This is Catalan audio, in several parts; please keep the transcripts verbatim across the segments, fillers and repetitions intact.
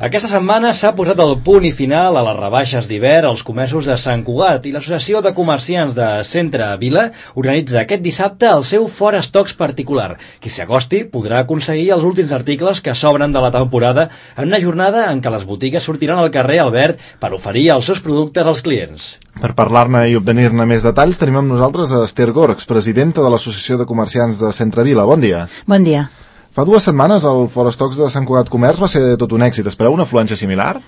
Aquesta setmana s'ha posat el punt i final a les rebaixes d'hivern als comerços de Sant Cugat i l'Associació de Comerciants de Centre Vila organitza aquest dissabte el seu Fora Estocs particular. Qui s'hi acosti podrà aconseguir els últims articles que sobren de la temporada en una jornada en què les botigues sortiran al carrer Albert per oferir els seus productes als clients. Per parlar-ne i obtenir-ne més detalls tenim amb nosaltres a Esther Gorgs, presidenta de l'Associació de Comerciants de Centre Vila. Bon dia. Bon dia. Fa dues setmanes el Fora Estocs de Sant Cugat Comerç va ser tot un èxit. Espereu una afluència similar?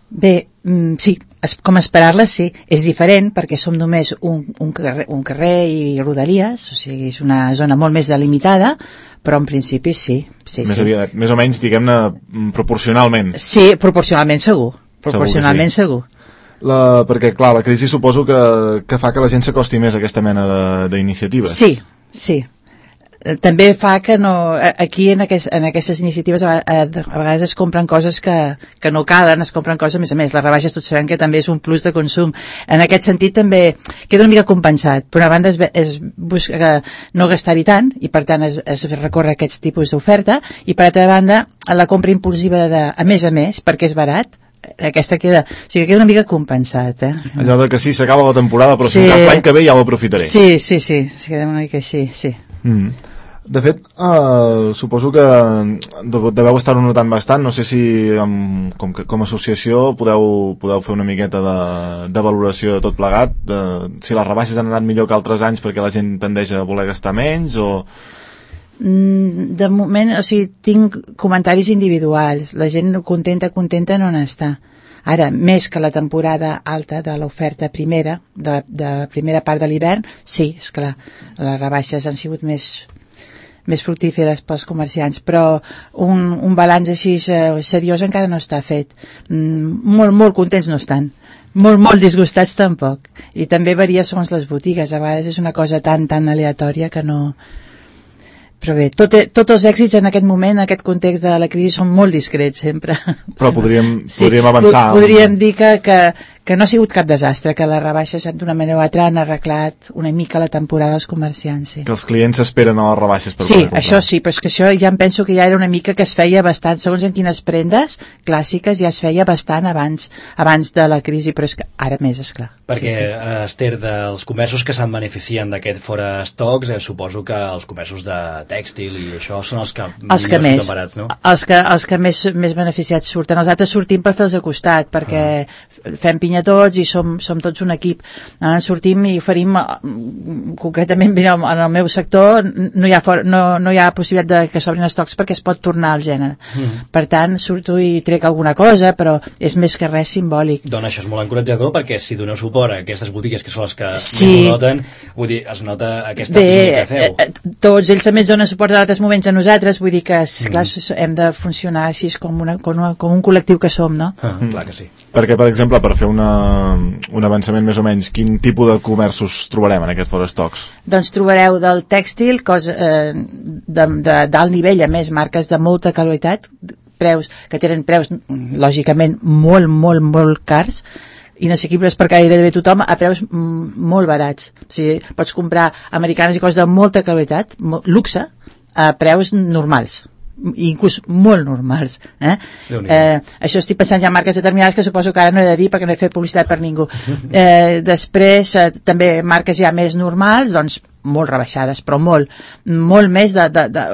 Bé, mm, sí, es, com esperar-la, sí. És diferent perquè som només un, un, carrer, un carrer i rodalies, o sigui, és una zona molt més delimitada, però en principi sí. sí, més, sí. Aviat, més o menys, diguem-ne, proporcionalment. Sí, proporcionalment segur. Proporcionalment segur. segur. La, perquè, clar, la crisi suposo que, que fa que la gent s'acosti més a aquesta mena d'iniciatives. Sí, sí. També fa que no, aquí en, aquest, en aquestes iniciatives a, a, a vegades es compren coses que, que no calen, es compren coses, a més a més, les rebaixes tots sabem que també és un plus de consum. En aquest sentit també queda una mica compensat. Per una banda es, es busca no gastar-hi tant i per tant es, es recorre aquests tipus d'oferta i per altra banda la compra impulsiva de, a més a més perquè és barat, aquesta queda, o sigui, queda una mica compensat, eh? Allò de que sí, s'acaba la temporada però sí. si cas l'any que ve ja ho aprofitaré. Sí, sí, sí, sí, queda una mica així, sí. Mm. De fet, uh, suposo que deveu estar-ho notant bastant, no sé si um, com, que, com a associació podeu, podeu fer una miqueta de, de valoració de tot plegat, de, si les rebaixes han anat millor que altres anys perquè la gent tendeix a voler gastar menys o... De moment, o sigui, tinc comentaris individuals, la gent contenta, contenta no n'està. Ara, més que la temporada alta de l'oferta primera, de, de primera part de l'hivern, sí, esclar, les rebaixes han sigut més... més fructíferes pels comerciants, però un, un balanç així eh, seriós encara no està fet. Mm, molt, molt contents no estan. Molt, molt disgustats tampoc. I també varia segons les botigues. A vegades és una cosa tan, tan aleatòria que no... Però bé, tot, tots els èxits en aquest moment, en aquest context de la crisi, són molt discrets sempre. Però podríem, sí, podríem avançar. Podríem dir que, que, que no ha sigut cap desastre, que les rebaixes d'una manera o altra han arreglat una mica la temporada dels comerciants. Sí. Que els clients esperen a les rebaixes per sí, poder comprar. Això sí, però és que això ja em penso que ja era una mica que es feia bastant, segons en quines prendes clàssiques ja es feia bastant abans, abans de la crisi, però és que ara més, esclar. Perquè, sí, sí. Esther, dels comerços que se'n beneficien d'aquest Fora Estocs, eh, suposo que els comerços de tèxtil i això són els que, els que més barats, no? els que, els que més, més beneficiats surten. Els altres sortim per fer-los a costat perquè ah. fem pinya tots i som, som tots un equip. Eh, sortim i oferim concretament en el meu sector no hi ha, for, no, no hi ha possibilitat de que s'obrin estocs perquè es pot tornar al gènere. Mm. Per tant, surto i trec alguna cosa, però és més que res simbòlic. Doncs això és molt encoratjador perquè si doneu suport a aquestes botigues que són les que sí. no noten, vull dir, es nota aquesta Bé, que feu. Eh, tots ells també ens donen suport a altres moments a nosaltres, vull dir que esclar, mm. hem de funcionar així com, una, com, una, com un col·lectiu que som, no? Ah, mm. Clar que sí. Perquè, per exemple, per fer una, un avançament més o menys, quin tipus de comerços trobarem en aquest Fora Estocs? Doncs trobareu del tèxtil, cosa, eh, de, de, d'alt nivell, a més, marques de molta qualitat, preus que tenen preus, lògicament, molt, molt, molt cars, inassequibles per gairebé tothom a preus molt barats. O sigui, pots comprar americanes i coses de molta qualitat, luxe, a preus normals, inclús molt normals. Eh? Eh, això estic pensant ja en marques determinades que suposo que ara no he de dir perquè no he fet publicitat per ningú. Eh, després, eh, també marques ja més normals, doncs molt rebaixades, però molt, molt més de... de, de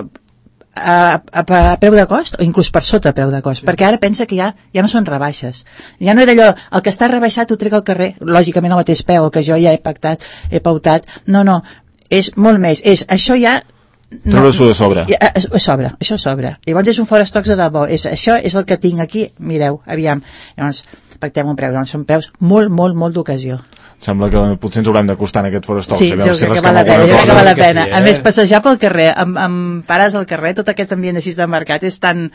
A, a, a preu de cost o inclús per sota preu de cost, perquè ara pensa que ja, ja no són rebaixes, ja no era allò el que està rebaixat ho trec al carrer, lògicament al mateix peu, el que jo ja he pactat, he pautat, no, no, és molt més, és això ja no, treure-s'ho de sobre a, a sobre, això sobre, llavors és un Fora Estocs de debò, és, això és el que tinc aquí, mireu, aviam, llavors pactem un preu, llavors són preus molt, molt, molt d'ocasió. Sembla que potser ens haurem d'acostar en aquest Fora Estocs. Sí, jo si crec que val la pena, jo crec que val la pena. Sí, eh? A més, passejar pel carrer, amb, amb pares al carrer, tot aquest ambient així de mercat és tan...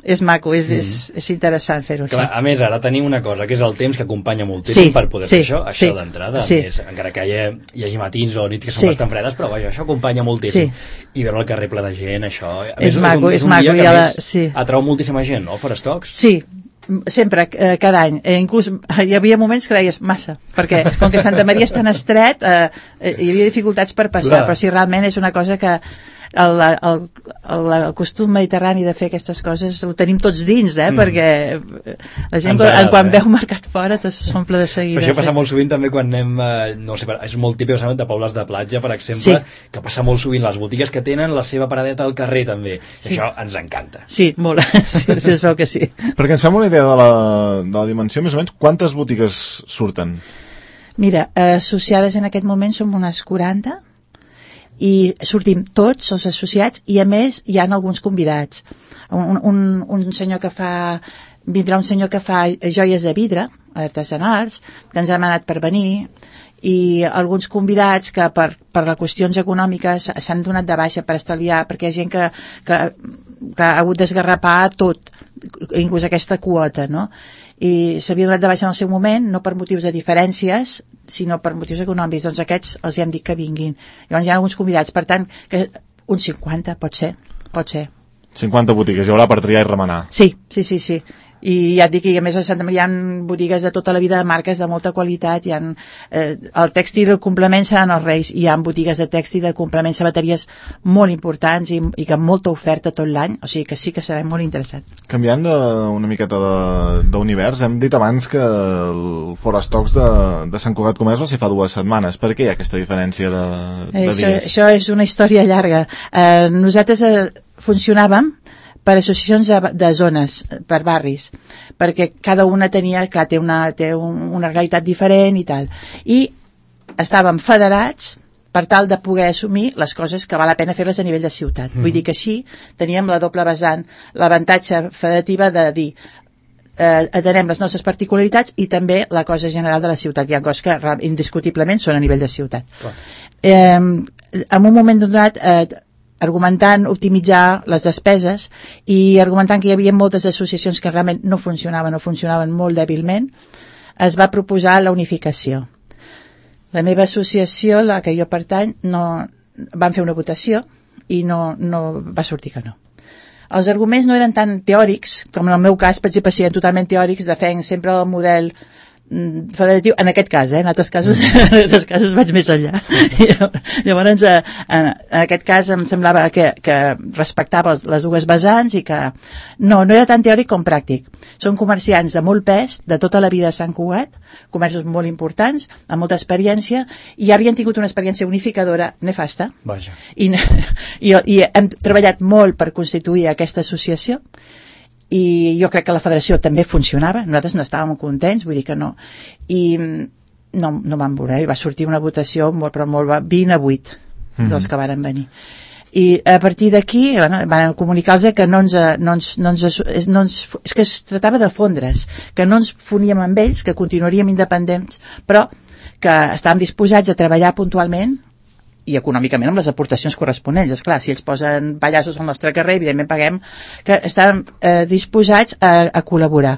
és maco, és, mm. és, és interessant fer-ho així. A més, ara tenim una cosa, que és el temps que acompanya moltíssim sí, per poder sí, fer això, això sí, d'entrada, sí. és, encara que hi, ha, hi hagi matins o nits que són sí. bastant fredes, però vaja, això acompanya moltíssim. Sí. I veure el carrer ple de gent, això... A més, és maco, és un, és un maco. dia que la... més sí. atrau moltíssima gent, no? Fora Estocs? Sí, sempre, eh, cada any, eh, inclús hi havia moments que deies massa, perquè com que Santa Maria és tan estret, eh, eh, hi havia dificultats per passar, Clar. Però si realment és una cosa que el, el, el, el costum mediterrani de fer aquestes coses ho tenim tots dins, eh? Mm. Perquè la gent agrada, quan eh? veu mercat fora s'omple de seguida. Però això passa sí. molt sovint també quan anem, eh, no sé, és molt típic de pobles de platja, per exemple, sí. que passa molt sovint les botigues que tenen la seva paradeta al carrer també. Sí. Això ens encanta. Sí, molt. Sí, sí, es veu que sí. Perquè ens fem una idea de la, de la dimensió, més o menys, quantes botigues surten? Mira, eh, associades en aquest moment som unes quaranta i sortim tots els associats i a més hi ha alguns convidats. Un, un, un senyor que fa vindrà un senyor que fa joies de vidre artesanals, que ens ha demanat per venir, i alguns convidats que per, per les qüestions econòmiques s'han donat de baixa per estalviar, perquè hi ha gent que, que, que ha hagut d'esgarrapar tot, inclús aquesta quota, no? I s'havia donat de baixa en el seu moment, no per motius de diferències, sinó per motius econòmics. Doncs aquests els hem dit que vinguin. Llavors hi ha alguns convidats, per tant, que uns cinquanta, pot ser, pot ser. cinquanta botigues, hi haurà per triar i remenar. Sí, sí, sí, sí. I ja et dic que a més a Santa Maria hi ha botigues de tota la vida de marques de molta qualitat, hi ha, eh, el tèxtil i el complement seran els Reis, hi ha botigues de tèxtil de complement, sabateries molt importants i, i que amb molta oferta tot l'any, o sigui que sí que serà molt interessant. Canviant de, una miqueta d'univers, hem dit abans que el Forestox de, de Sant Cugat Comerç va ser fa dues setmanes. Per què hi ha aquesta diferència de, de això, dies? Això és una història llarga. Eh, nosaltres eh, funcionàvem per associacions de, de zones, per barris, perquè cada una tenia, clar, té una, té un, una realitat diferent i tal. I estàvem federats per tal de poder assumir les coses que val la pena fer-les a nivell de ciutat. Mm. Vull dir que així teníem la doble vessant, l'avantatge federativa de dir eh, atenem les nostres particularitats i també la cosa general de la ciutat. Hi ha coses que indiscutiblement són a nivell de ciutat. Clar. Eh, en un moment donat... Eh, argumentant optimitzar les despeses i argumentant que hi havia moltes associacions que realment no funcionaven o funcionaven molt dèbilment, es va proposar la unificació. La meva associació, la que jo pertany, no, van fer una votació i no, no va sortir que no. Els arguments no eren tan teòrics, com en el meu cas, per exemple, siguin totalment teòrics, defenc sempre el model federatiu, en aquest cas, eh? En altres casos, en altres casos vaig més enllà. Llavors, eh, en, en aquest cas em semblava que, que respectava les dues vessants i que no, no era tan teòric com pràctic. Són comerciants de molt pes, de tota la vida a Sant Cugat, comerços molt importants, amb molta experiència, i ja havien tingut una experiència unificadora nefasta. Vaja. I, i, i hem treballat molt per constituir aquesta associació, i jo crec que la federació també funcionava, nosaltres no estàvem contents, vull dir que no, i no, no vam voler, i va sortir una votació molt, però molt, vint a vuit mm-hmm. dels que varen venir. I a partir d'aquí bueno, van comunicar-los que no ens, no ens, no ens, no ens, és que es tratava de fondre's, que no ens foníem amb ells, que continuaríem independents, però que estàvem disposats a treballar puntualment i econòmicament amb les aportacions corresponents. Esclar, si ells posen pallassos al nostre carrer, evidentment paguem, que estàvem eh, disposats a, a col·laborar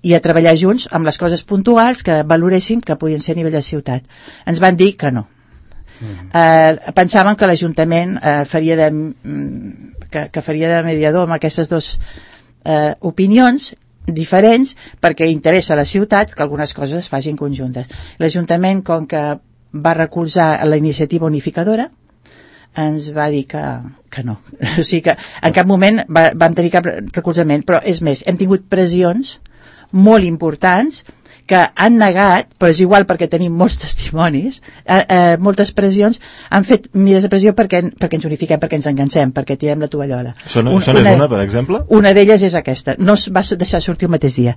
i a treballar junts amb les coses puntuals que valoréssim que podien ser a nivell de ciutat. Ens van dir que no. Mm. Eh, pensaven que l'Ajuntament eh, faria de, que, que faria de mediador amb aquestes dues eh, opinions diferents perquè interessa a la ciutat que algunes coses es facin conjuntes. L'Ajuntament, com que va recolzar la iniciativa unificadora, ens va dir que, que no. O sigui que en cap moment va, vam tenir cap recolzament, però és més, hem tingut pressions molt importants que han negat, però és igual perquè tenim molts testimonis, eh, eh, moltes pressions han fet mides de pressió perquè, perquè ens unifiquem, perquè ens engancem, perquè tirem la tovallola. Són, un, són una, una, per exemple? Una d'elles és aquesta, no es va deixar sortir el mateix dia,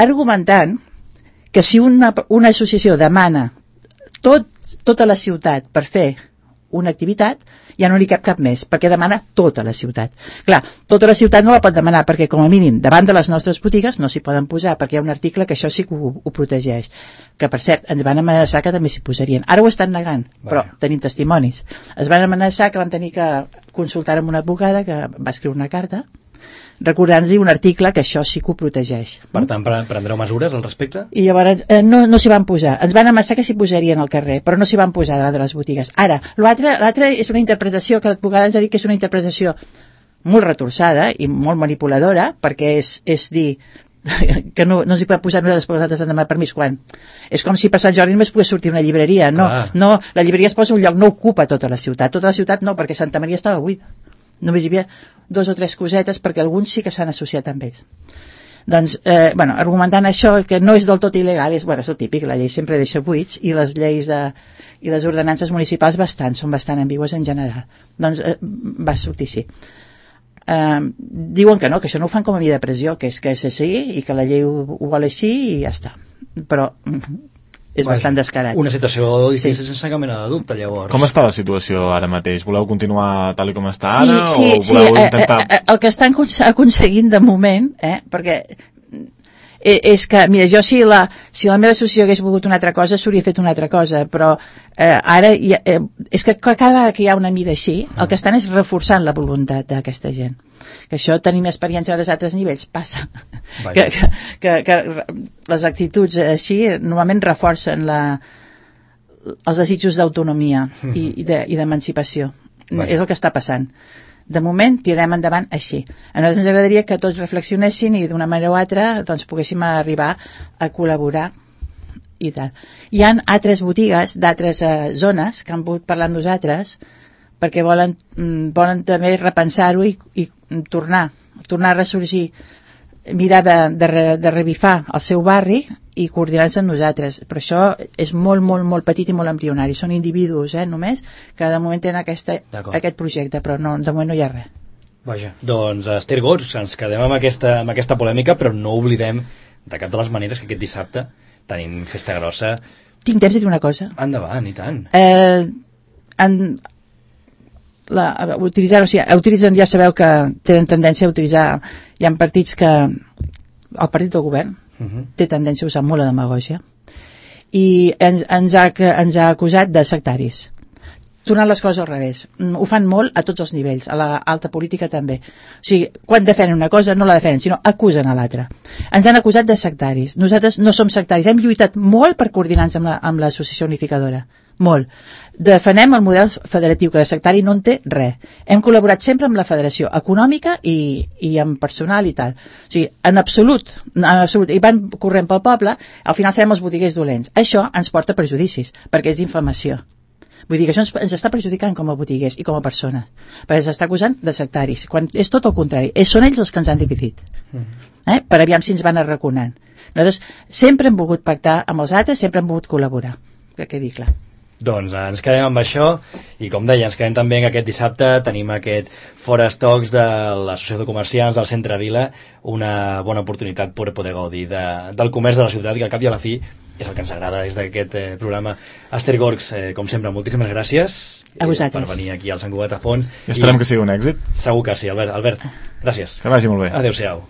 argumentant que si una, una associació demana tot, tota la ciutat per fer una activitat, ja no n'hi cap cap més, perquè demana tota la ciutat. Clar, tota la ciutat no la pot demanar, perquè com a mínim, davant de les nostres botigues no s'hi poden posar, perquè hi ha un article que això sí que ho, ho protegeix. Que, per cert, ens van amenaçar que també s'hi posarien. Ara ho estan negant, però Vaja. Tenim testimonis. Es van amenaçar que vam tenir que consultar amb una advocada que va escriure una carta recordant-nos un article que això sí que ho protegeix. Per tant, prendreu mesures al respecte? I llavors eh, no, no s'hi van posar. Ens van amenaçar que s'hi posarien al carrer, però no s'hi van posar davant de les botigues. Ara, l'altre és una interpretació que l'advocada ens ha dit que és una interpretació molt retorçada i molt manipuladora, perquè és, és dir, que no, no ens hi podem posar nosaltres, perquè nosaltres hem de demanar permís quan. És com si per Sant Jordi només pogués sortir una llibreria. No, no, la llibreria es posa un lloc, no ocupa tota la ciutat. Tota la ciutat no, perquè Santa Maria estava buida. Només hi havia dos o tres cosetes perquè alguns sí que s'han associat amb ells. Doncs, eh, bueno, argumentant això, que no és del tot il·legal, és, bueno, és el típic, la llei sempre deixa buits, i les lleis de, i les ordenances municipals bastant, són bastant ambigües en general. Doncs eh, va sortir així. Eh, diuen que no, que això no ho fan com a via de pressió, que és que és així, i que la llei ho, ho vol així, i ja està. Però és Vaja, bastant descarat. Una situació difícil sí. sense cap mena de dubte, llavors. Com està la situació ara mateix? Voleu continuar tal com està sí, ara? Sí, o voleu sí, intentar... eh, eh, el que estan aconseguint de moment, eh, perquè eh, és que, mira, jo si la, si la meva associació hagués volgut una altra cosa, s'hauria fet una altra cosa, però eh, ara ha, eh, és que cada vegada que hi ha una mida així, el que estan és reforçant la voluntat d'aquesta gent. Que això tenim experiència als altres nivells, passa. Que, que, que, que les actituds així normalment reforcen la, els desitjos d'autonomia mm-hmm. i, i, de, i d'emancipació. És el que està passant. De moment tirarem endavant així. A nosaltres ens agradaria que tots reflexionessin i d'una manera o altra doncs, poguéssim arribar a col·laborar i tal. Hi ha altres botigues d'altres eh, zones que han volgut parlar amb nosaltres perquè volen, volen també repensar-ho i, i tornar, tornar a ressorgir, mirar de, de, de revifar el seu barri i coordinar-se amb nosaltres. Però això és molt, molt, molt petit i molt embrionari. Són individus, eh, només, que de moment tenen aquesta, aquest projecte, però no, de moment no hi ha res. Vaja, doncs, Esther Gots, ens quedem amb aquesta, amb aquesta polèmica, però no oblidem de cap de les maneres que aquest dissabte tenim festa grossa. Tinc temps de dir una cosa? Endavant, i tant. Eh, en... La, utilitzar, o sigui, utilitzen, ja sabeu que tenen tendència a utilitzar, hi ha partits que el partit del govern uh-huh. té tendència a usar molt la demagògia i ens, ens, ha, ens ha acusat de sectaris, tornant les coses al revés. Ho fan molt a tots els nivells, a l'alta política també. O sigui, quan defenen una cosa no la defenen, sinó acusen a l'altra. Ens han acusat de sectaris. Nosaltres no som sectaris, hem lluitat molt per coordinar-nos amb, la, amb l'associació unificadora. Molt. Defenem el model federatiu, que de sectari no en té res. Hem col·laborat sempre amb la federació econòmica i, i amb personal i tal. O sigui, en absolut, en absolut, i van corrent pel poble, al final serem els botiguers dolents. Això ens porta prejudicis, perquè és d'infamació. Vull dir que això ens, ens està perjudicant com a botiguers i com a persones, perquè s'està acusant de sectaris, quan és tot el contrari. És, són ells els que ens han dividit, eh? Per aviam si ens van arraconant. Nosaltres sempre hem volgut pactar amb els altres, sempre hem volgut col·laborar, que quedi clar. Doncs ens quedem amb això i com deia, ens quedem també que aquest dissabte tenim aquest Fora Stocks de l'Associació de Comerciants del Centre Vila, una bona oportunitat per poder gaudir de, del comerç de la ciutat, que al cap i a la fi és el que ens agrada des d'aquest eh, programa. Esther Gorgs, eh, com sempre, moltíssimes gràcies a vosaltres per venir aquí al Sant Cugat a Fons. I esperem i que sigui un èxit. Segur que sí, Albert. Albert, gràcies. Que vagi molt bé. Adéu-siau.